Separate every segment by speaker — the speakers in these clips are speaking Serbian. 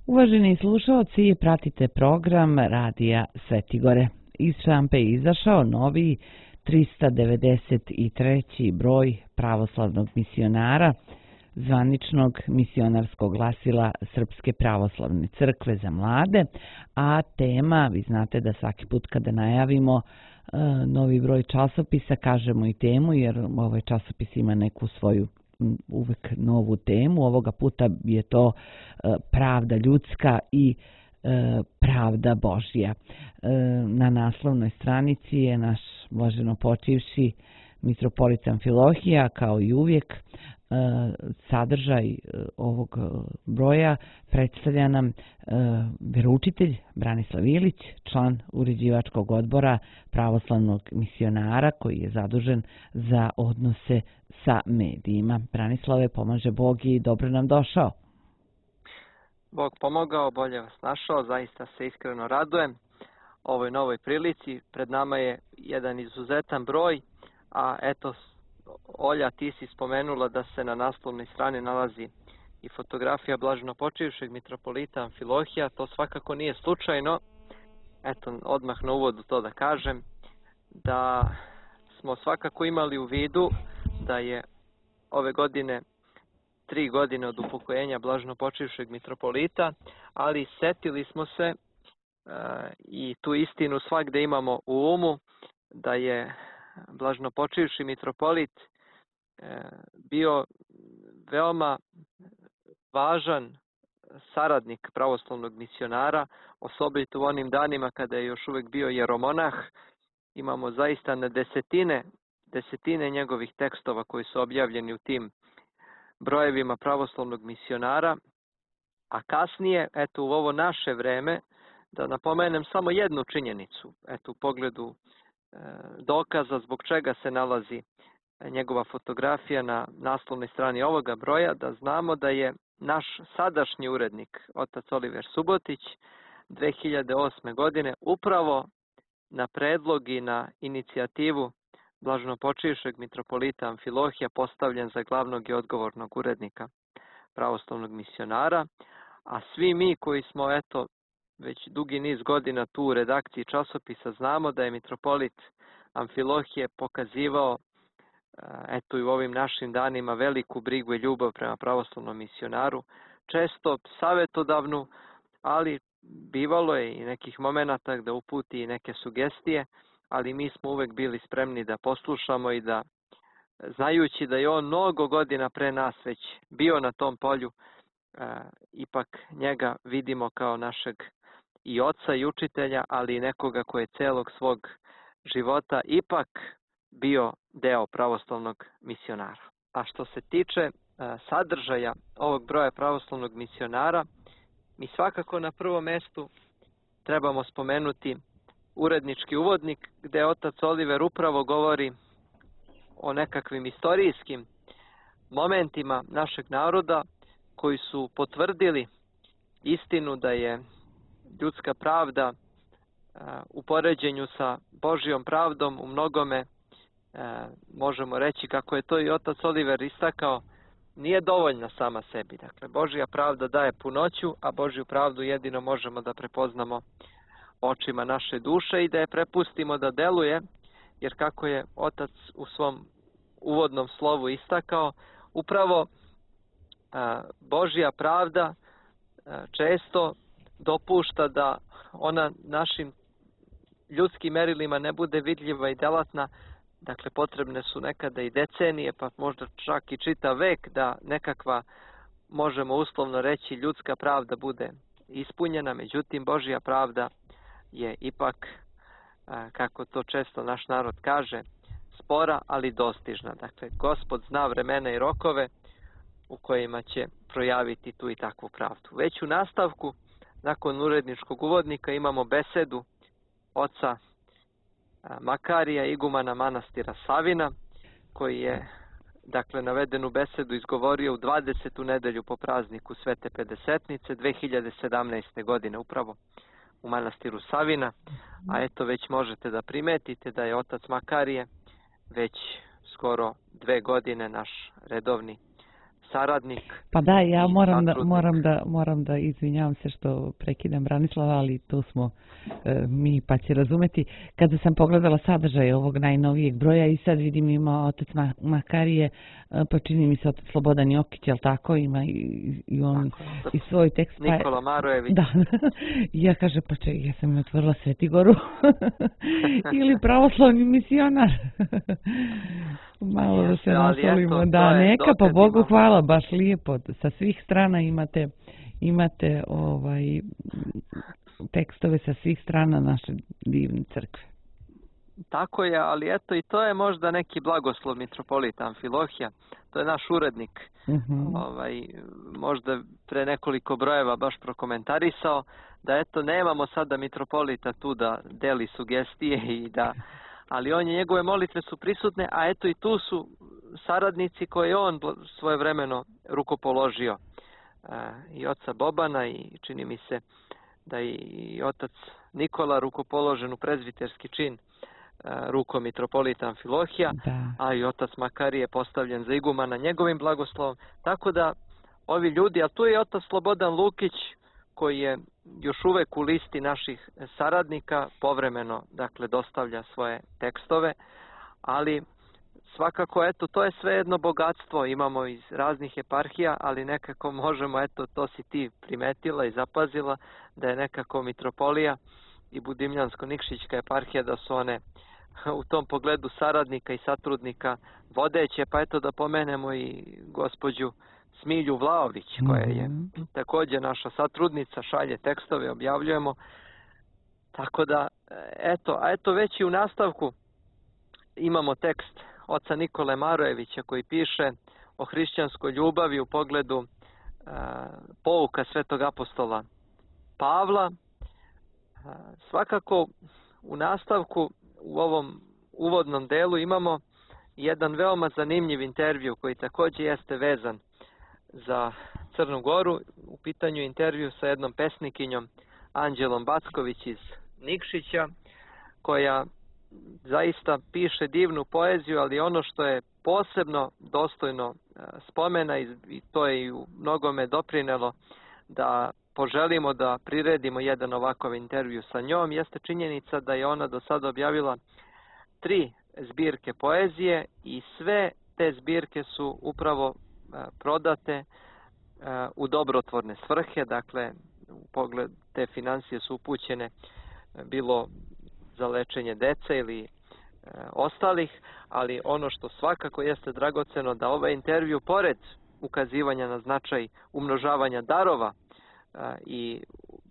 Speaker 1: Uvaženi slušalci, pratite program Radija Svetigore. Iz štampe je izašao novi 393. broj pravoslavnog misionara, zvaničnog misionarskog glasila Srpske pravoslavne crkve za mlade, a tema, vi znate da svaki put kada najavimo novi broj časopisa, kažemo i temu, jer ovaj časopis ima neku svoju uvek novu temu. Ovoga puta je to pravda ljudska i pravda Božja. Na naslovnoj stranici je naš blaženo počivši mitropolit Amfilohije, kao i uvijek. Sadržaj ovog broja predstavlja nam veroučitelj Branislav Ilić, član uređivačkog odbora pravoslavnog misionara koji je zadužen za odnose sa medijima. Branislave, pomaže Bog i dobro nam došao.
Speaker 2: Bog pomogao, bolje vas našao, zaista se iskreno radujem ovoj novoj prilici. Pred nama je jedan izuzetan broj, a eto, Olja, ti si spomenula da se na naslovnoj strani nalazi i fotografija blaženopočivšeg mitropolita Amfilohija. To svakako nije slučajno. Eto, odmah na uvodu to da kažem, da smo svakako imali u vidu da je ove godine 3 godine od upokojenja blaženopočivšeg mitropolita, ali setili smo se i tu istinu svagde imamo u umu, da je blaženopočivši mitropolit bio veoma važan saradnik pravoslavnog misionara, osobito u onim danima kada je još uvijek bio jeromonah. Imamo zaista na desetine njegovih tekstova koji su objavljeni u tim brojevima pravoslavnog misionara, a kasnije, eto u ovo naše vreme, da napomenem samo jednu činjenicu, eto u pogledu dokaza zbog čega se nalazi njegova fotografija na naslovnoj strani ovoga broja, da znamo da je naš sadašnji urednik, otac Oliver Subotić, 2008. godine upravo na predlog i na inicijativu blaženopočivšeg mitropolita Amfilohija postavljen za glavnog i odgovornog urednika pravoslavnog misionara, a svi mi koji smo eto već dugi niz godina tu u redakciji časopisa znamo da je mitropolit Amfilohije pokazivao eto i u ovim našim danima veliku brigu i ljubav prema pravoslavnom misionaru, često savjetodavnu, ali bivalo je i nekih momenata da uputi i neke sugestije, ali mi smo uvek bili spremni da poslušamo i da, znajući da je on mnogo godina pre nas već bio na tom polju, ipak njega vidimo kao našeg i oca i učitelja, ali i nekoga koji je celog svog života ipak bio deo pravoslavnog misionara. A što se tiče sadržaja ovog broja pravoslavnog misionara, mi svakako na prvom mestu trebamo spomenuti urednički uvodnik, gde otac Oliver upravo govori o nekakvim istorijskim momentima našeg naroda koji su potvrdili istinu da je ljudska pravda u poređenju sa Božjom pravdom u mnogome, možemo reći kako je to i otac Oliver istakao, nije dovoljna sama sebi. Dakle, Božja pravda daje punoću, a Božju pravdu jedino možemo da prepoznamo očima naše duše i da je prepustimo da deluje, jer kako je otac u svom uvodnom slovu istakao, upravo Božja pravda često dopušta da ona našim ljudskim merilima ne bude vidljiva i delatna. Dakle, potrebne su nekada i decenije, pa možda čak i čitav vek da nekakva, možemo uslovno reći, ljudska pravda bude ispunjena. Međutim, Božja pravda je ipak, kako to često naš narod kaže, spora, ali dostižna. Dakle, Gospod zna vremena i rokove u kojima će projaviti tu i takvu pravdu. Već u nastavku, nakon uredničkog uvodnika, imamo besedu oca Makarija, igumana manastira Savina, koji je, dakle, navedenu besedu izgovorio u 20. nedelju po prazniku Svete Pedesetnice 2017. godine, upravo u manastiru Savina. A eto, već možete da primetite da je otac Makarije već skoro 2 godine naš redovni saradnik.
Speaker 1: Pa da, ja moram da izvinjavam se što prekidam Branislava, ali tu smo mi, pa će razumeti. Kada sam pogledala sadržaj ovog najnovijeg broja i sad vidim ima otac Makarije, pa čini mi se otac Slobodan Jokić, jel tako, ima i on i svoj tekst.
Speaker 2: Nikola Marojević.
Speaker 1: Da, ja kažem, pa čekaj, ja sam otvorila Svetigoru ili pravoslavni misionar. Malo da se nasolimo, da, neka, pa Bogu hvala, baš lijepo, sa svih strana imate tekstove sa svih strana naše divne crkve.
Speaker 2: Tako je, ali eto i to je možda neki blagoslov mitropolita Amfilohija, to je naš urednik, možda pre nekoliko brojeva baš prokomentarisao, da eto nemamo sada mitropolita tu da deli sugestije i da, ali njegove molitve su prisutne, a eto i tu su saradnici koje on svojevremeno rukopoložio. I oca Bobana i čini mi se da i otac Nikola rukopoložen u prezbiterski čin rukom mitropolita Amfilohija, a i otac Makarije postavljen za igumana njegovim blagoslovom. Tako da ovi ljudi, a tu je otac Slobodan Lukić koji je još uvek u listi naših saradnika, povremeno dakle dostavlja svoje tekstove, ali svakako eto to je sve jedno bogatstvo, imamo iz raznih eparhija, ali nekako možemo, eto to si ti primetila i zapazila, da je nekako mitropolija i Budimljansko-Nikšićka eparhija da su one u tom pogledu saradnika i satrudnika vodeće, pa eto da pomenemo i gospođu Smilju Vlaović, koja je također naša satrudnica, šalje tekstove, objavljujemo. Tako da, eto već i u nastavku imamo tekst oca Nikole Marojevića koji piše o hrišćanskoj ljubavi u pogledu pouka svetog apostola Pavla. Svakako u nastavku u ovom uvodnom delu imamo jedan veoma zanimljiv intervju koji također jeste vezan za Crnu Goru. U pitanju intervju sa jednom pesnikinjom Anđelom Backović iz Nikšića, koja zaista piše divnu poeziju, ali ono što je posebno dostojno spomena i to je i u mnogome doprinelo da poželimo da priredimo jedan ovakav intervju sa njom, jeste činjenica da je ona do sada objavila 3 zbirke poezije i sve te zbirke su upravo prodate u dobrotvorne svrhe, dakle u pogled te financije su upućene bilo za lečenje dece ili ostalih, ali ono što svakako jeste dragoceno da ovaj intervju pored ukazivanja na značaj umnožavanja darova i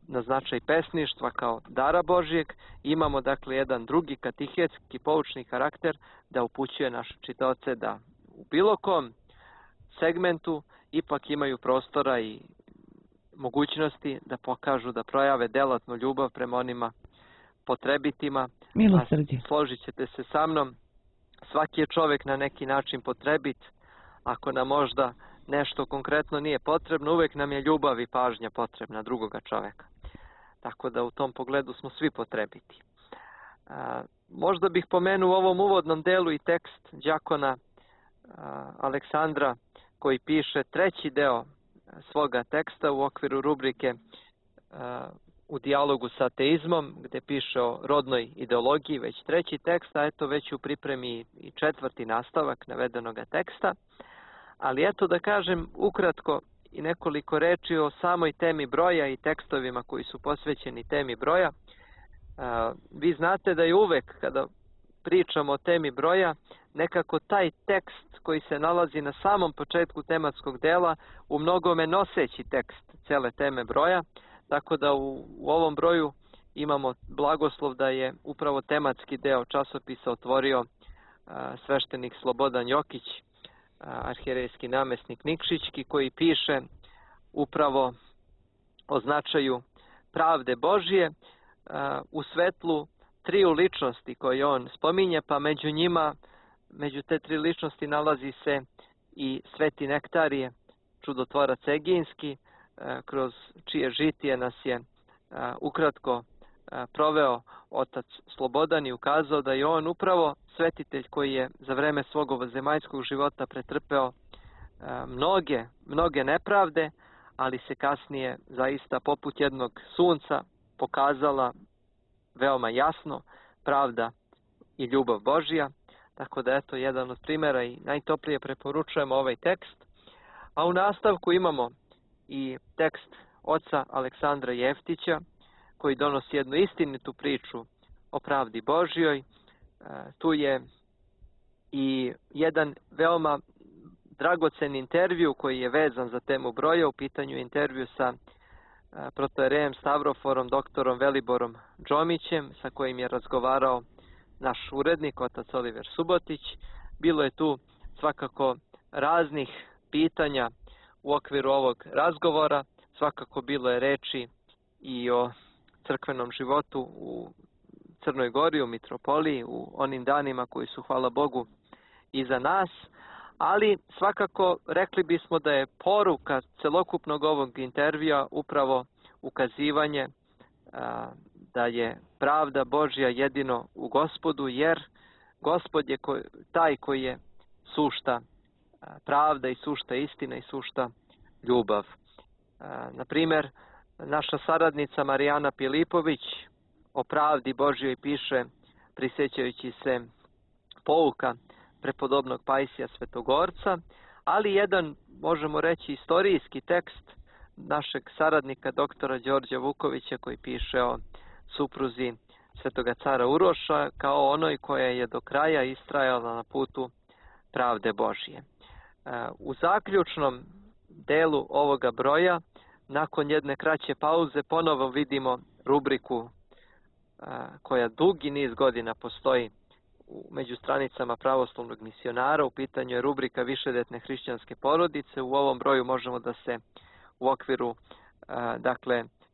Speaker 2: na značaj pesništva kao dara Božijeg, imamo dakle jedan drugi katehetski poučni karakter da upućuje naše čitaoce da u bilo kom segmentu ipak imaju prostora i mogućnosti da pokažu, da projave delatnu ljubav prema onima potrebitima.
Speaker 1: Milosrđe.
Speaker 2: Složit ćete se sa mnom, svaki je čovjek na neki način potrebit. Ako nam možda nešto konkretno nije potrebno, uvijek nam je ljubav i pažnja potrebna drugoga čovjeka. Tako da u tom pogledu smo svi potrebiti. Možda bih pomenuo u ovom uvodnom delu i tekst đakona Aleksandra koji piše 3. deo svoga teksta u okviru rubrike u dijalogu sa ateizmom, gdje piše o rodnoj ideologiji, već 3. tekst, a eto već u pripremi i 4. nastavak navedenoga teksta. Ali eto da kažem ukratko i nekoliko reči o samoj temi broja i tekstovima koji su posvećeni temi broja. Vi znate da je uvek kada pričamo o temi broja, nekako taj tekst koji se nalazi na samom početku tematskog dela u mnogome noseći tekst cele teme broja, tako da u ovom broju imamo blagoslov da je upravo tematski deo časopisa otvorio sveštenik Slobodan Jokić, arhijerejski namjesnik Nikšićki, koji piše upravo o značaju pravde Božije u svetlu 3 ličnosti koje on spominje, pa među njima, među te 3 ličnosti nalazi se i Sveti Nektarije, čudotvorac Egejski, kroz čije žitije nas je ukratko proveo otac Slobodan i ukazao da je on upravo svetitelj koji je za vreme svog ovozemaljskog života pretrpeo mnoge nepravde, ali se kasnije zaista poput jednog sunca pokazala veoma jasno pravda i ljubav Božja. Tako da eto jedan od primjera i najtoplije preporučujemo ovaj tekst. A u nastavku imamo i tekst oca Aleksandra Jeftića koji donosi jednu istinitu priču o pravdi Božjoj. Tu je i jedan veoma dragocen intervju koji je vezan za temu broja. U pitanju intervju sa protojerejem Stavroforom, doktorom Veliborom Džomićem, sa kojim je razgovarao naš urednik, otac Oliver Subotić. Bilo je tu svakako raznih pitanja u okviru ovog razgovora. Svakako bilo je reči i o crkvenom životu u Crnoj Gori, u Mitropoliji, u onim danima koji su, hvala Bogu, iza nas. Ali svakako rekli bismo da je poruka celokupnog ovog intervjua upravo ukazivanje da je pravda Božja jedino u Gospodu, jer Gospod je taj koji je sušta pravda i sušta istina i sušta ljubav. Na primjer, naša saradnica Marijana Pilipović o pravdi Božjoj piše, prisjećajući se pouka prepodobnog Pajsija Svetogorca, ali jedan, možemo reći, istorijski tekst našeg saradnika doktora Đorđa Vukovića koji piše o supruzi Svetoga cara Uroša kao onoj koja je do kraja istrajala na putu pravde Božje. U zaključnom delu ovoga broja, nakon jedne kraće pauze, ponovo vidimo rubriku koja dugi niz godina postoji među stranicama pravoslavnog misionara. U pitanju je rubrika Višedetne hrišćanske porodice. U ovom broju možemo da se u okviru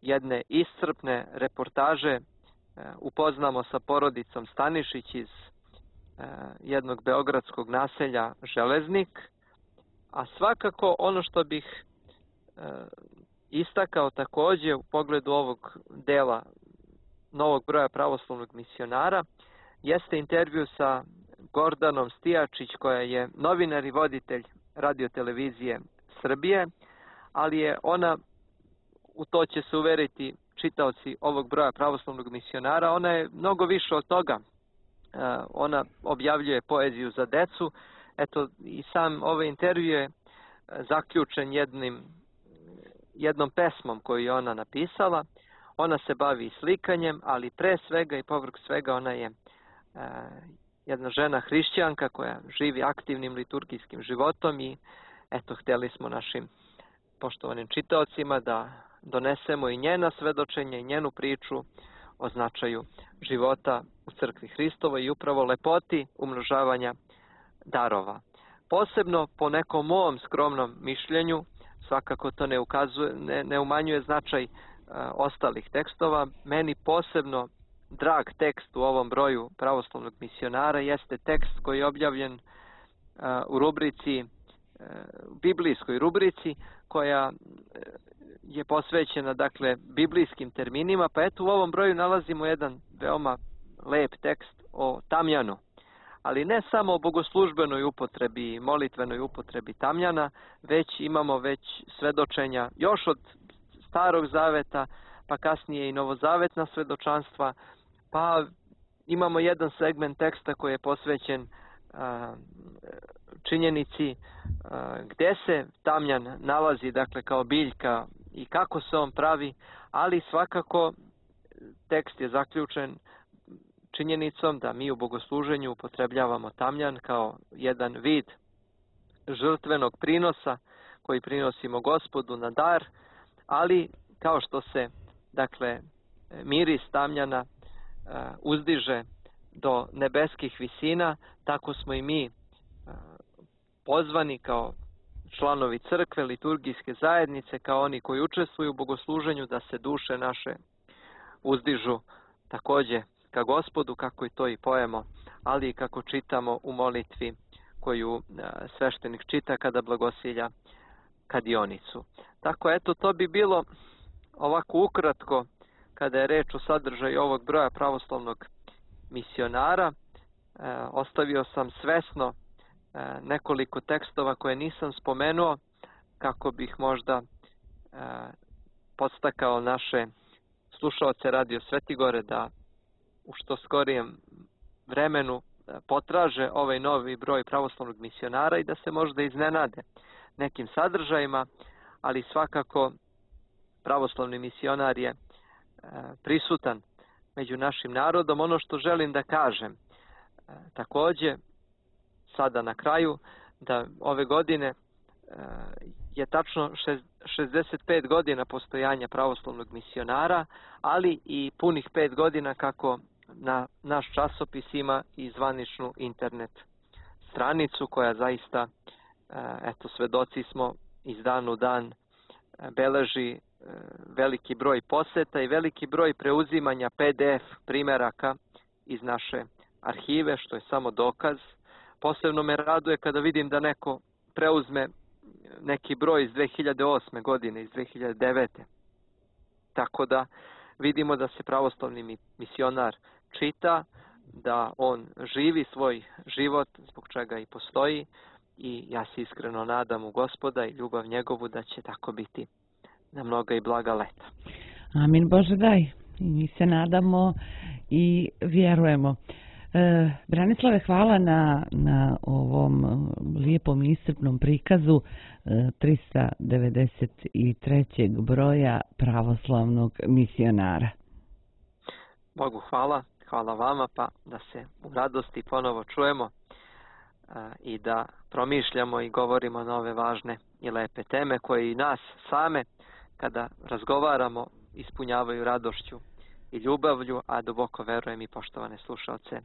Speaker 2: jedne iscrpne reportaže upoznamo sa porodicom Stanišić iz jednog beogradskog naselja Železnik. A svakako ono što bih istakao također u pogledu ovog dela novog broja pravoslavnog misionara jeste intervju sa Gordanom Stijačić, koja je novinar i voditelj radiotelevizije Srbije, ali je ona, u to će se uveriti čitaoci ovog broja pravoslavnog misionara, ona je mnogo više od toga. Ona objavljuje poeziju za decu. Eto, i sam ovaj intervju je zaključen jednom pesmom koju je ona napisala. Ona se bavi slikanjem, ali pre svega i povrh svega ona je jedna žena hrišćanka koja živi aktivnim liturgijskim životom i eto, htjeli smo našim poštovanim čitaocima da donesemo i njena svedočenja i njenu priču o značaju života u crkvi Hristovoj i upravo lepoti umnožavanja darova. Posebno po nekom mom skromnom mišljenju, svakako to ne umanjuje značaj ostalih tekstova. Meni posebno drag tekst u ovom broju pravoslavnog misionara jeste tekst koji je objavljen u rubrici, biblijskoj rubrici, koja je posvećena biblijskim terminima. Pa eto, u ovom broju nalazimo jedan veoma lep tekst o tamjanu, ali ne samo o bogoslužbenoj upotrebi, molitvenoj upotrebi tamjana, već imamo svedočenja još od Starog zaveta, pa kasnije i novozavetna svedočanstva, pa imamo jedan segment teksta koji je posvećen činjenici gde se tamjan nalazi, kao biljka i kako se on pravi, ali svakako tekst je zaključen činjenicom da mi u bogosluženju upotrebljavamo tamjan kao jedan vid žrtvenog prinosa koji prinosimo Gospodu na dar, ali kao što se miris tamjana uzdiže do nebeskih visina, tako smo i mi pozvani kao članovi crkve, liturgijske zajednice, kao oni koji učestvuju u bogosluženju, da se duše naše uzdižu također ka Gospodu, kako i to i pojemo, ali i kako čitamo u molitvi koju sveštenik čita kada blagosilja kadionicu. Tako, eto, to bi bilo ovako ukratko kada je reč o sadržaju ovog broja pravoslavnog misionara. Ostavio sam svesno nekoliko tekstova koje nisam spomenuo kako bih možda podstakao naše slušaoce Radio Svetigore da u što skorijem vremenu potraže ovaj novi broj pravoslavnog misionara i da se možda iznenade nekim sadržajima, ali svakako pravoslavni misionar je prisutan među našim narodom. Ono što želim da kažem takođe sada na kraju, da ove godine je tačno 65 godina postojanja pravoslavnog misionara, ali i punih 5 godina kako naš časopis ima i zvaničnu internet stranicu koja zaista, eto, svedoci smo, iz dana u dan beleži veliki broj poseta i veliki broj preuzimanja PDF primeraka iz naše arhive, što je samo dokaz. Posebno me raduje kada vidim da neko preuzme neki broj iz 2008. godine, iz 2009. Tako da vidimo da se pravoslavni misionar čita, da on živi svoj život, zbog čega i postoji, i ja se iskreno nadam u Gospoda i ljubav njegovu da će tako biti na mnoga i blaga leta.
Speaker 1: Amin, Bože daj. I mi se nadamo i vjerujemo. Branislave, hvala na ovom lijepom i iscrpnom prikazu 393. broja pravoslavnog misionara.
Speaker 2: Bogu hvala, hvala vama, pa da se u radosti ponovo čujemo i da promišljamo i govorimo na ove važne i lepe teme koje i nas same kada razgovaramo ispunjavaju radošću i ljubavlju, a duboko verujem i poštovane slušaoce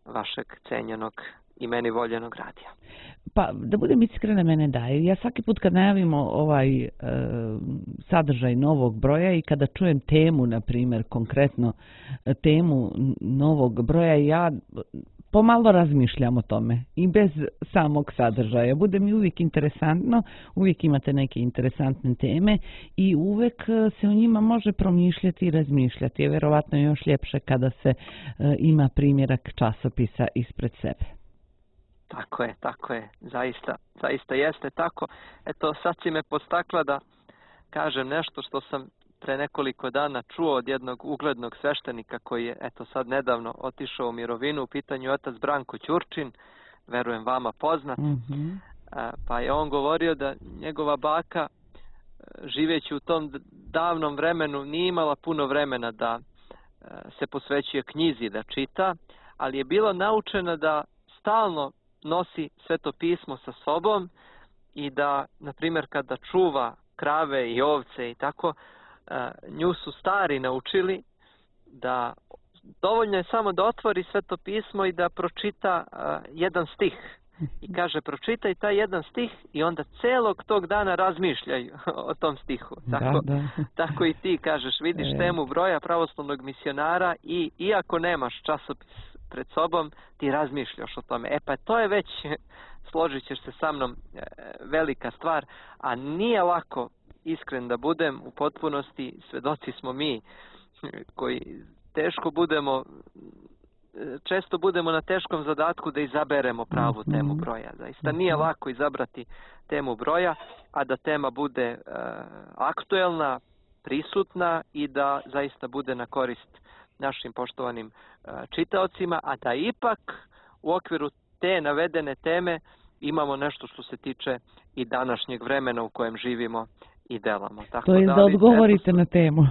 Speaker 2: vašeg cenjenog i meni voljenog radija.
Speaker 1: Pa, da budem iskrena, mene daje. Ja svaki put kad najavimo ovaj sadržaj novog broja i kada čujem temu, na primjer, konkretno temu novog broja, ja pomalo razmišljam o tome i bez samog sadržaja. Bude mi uvijek interesantno, uvijek imate neke interesantne teme i uvijek se o njima može promišljati i razmišljati. Je vjerovatno još ljepše kada se ima primjerak časopisa ispred sebe.
Speaker 2: Tako je, zaista jeste tako. Eto, sad si me podstakla da kažem nešto što sam pre nekoliko dana čuo od jednog uglednog sveštenika koji je, eto, sad nedavno otišao u mirovinu, u pitanju je otac Branko Ćurčin, verujem vama poznat. Pa je on govorio da njegova baka, živeći u tom davnom vremenu, nije imala puno vremena da se posvećuje knjizi, da čita, ali je bila naučena da stalno nosi Sveto pismo sa sobom i da, na primjer, kada čuva krave i ovce i tako, nju su stari naučili da dovoljno je samo da otvori Sveto pismo i da pročita jedan stih. I kaže, pročitaj taj jedan stih i onda celog tog dana razmišljaj o tom stihu. Tako i ti kažeš, vidiš temu broja pravoslavnog misionara i iako nemaš časopis pred sobom, ti razmišljaš o tome. Pa to je već, složit ćeš se sa mnom, velika stvar, a nije lako, iskren da budem, u potpunosti svedoci smo mi koji često budemo na teškom zadatku da izaberemo pravu temu broja. Zaista nije lako izabrati temu broja, a da tema bude aktuelna, prisutna i da zaista bude na korist našim poštovanim čitaocima, a da ipak u okviru te navedene teme imamo nešto što se tiče i današnjeg vremena u kojem živimo i delamo.
Speaker 1: To je da odgovorite na temu.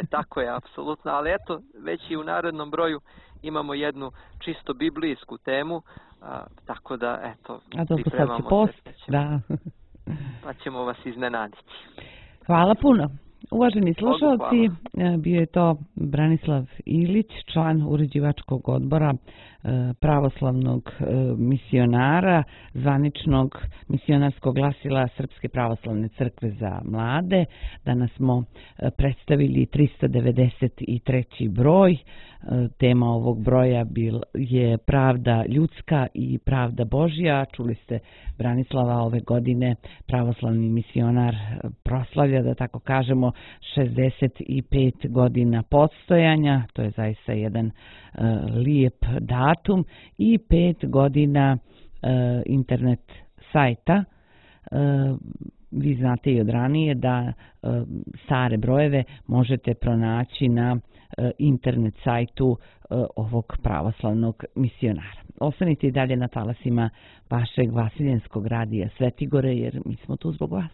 Speaker 2: Tako je, apsolutno. Ali eto, već i u narednom broju imamo jednu čisto biblijsku temu, tako da, eto, pripremamo se. Pa ćemo vas iznenaditi.
Speaker 1: Hvala puno. Uvaženi slušalci, bio je to Branislav Ilić, član uređivačkog odbora pravoslavnog misionara, zvaničnog misionarskog glasila Srpske pravoslavne crkve za mlade. Danas smo predstavili 393. broj. Tema ovog broja je pravda ljudska i pravda Božja. Čuli ste Branislava, ove godine pravoslavni misionar proslavlja, da tako kažemo, 65 godina postojanja. To je zaista jedan lijep datum i 5 godina internet sajta. Vi znate i od ranije da stare brojeve možete pronaći na internet sajtu ovog pravoslavnog misionara. Ostanite i dalje na talasima vašeg vasiljenskog radija Svetigore, jer mi smo tu zbog vas.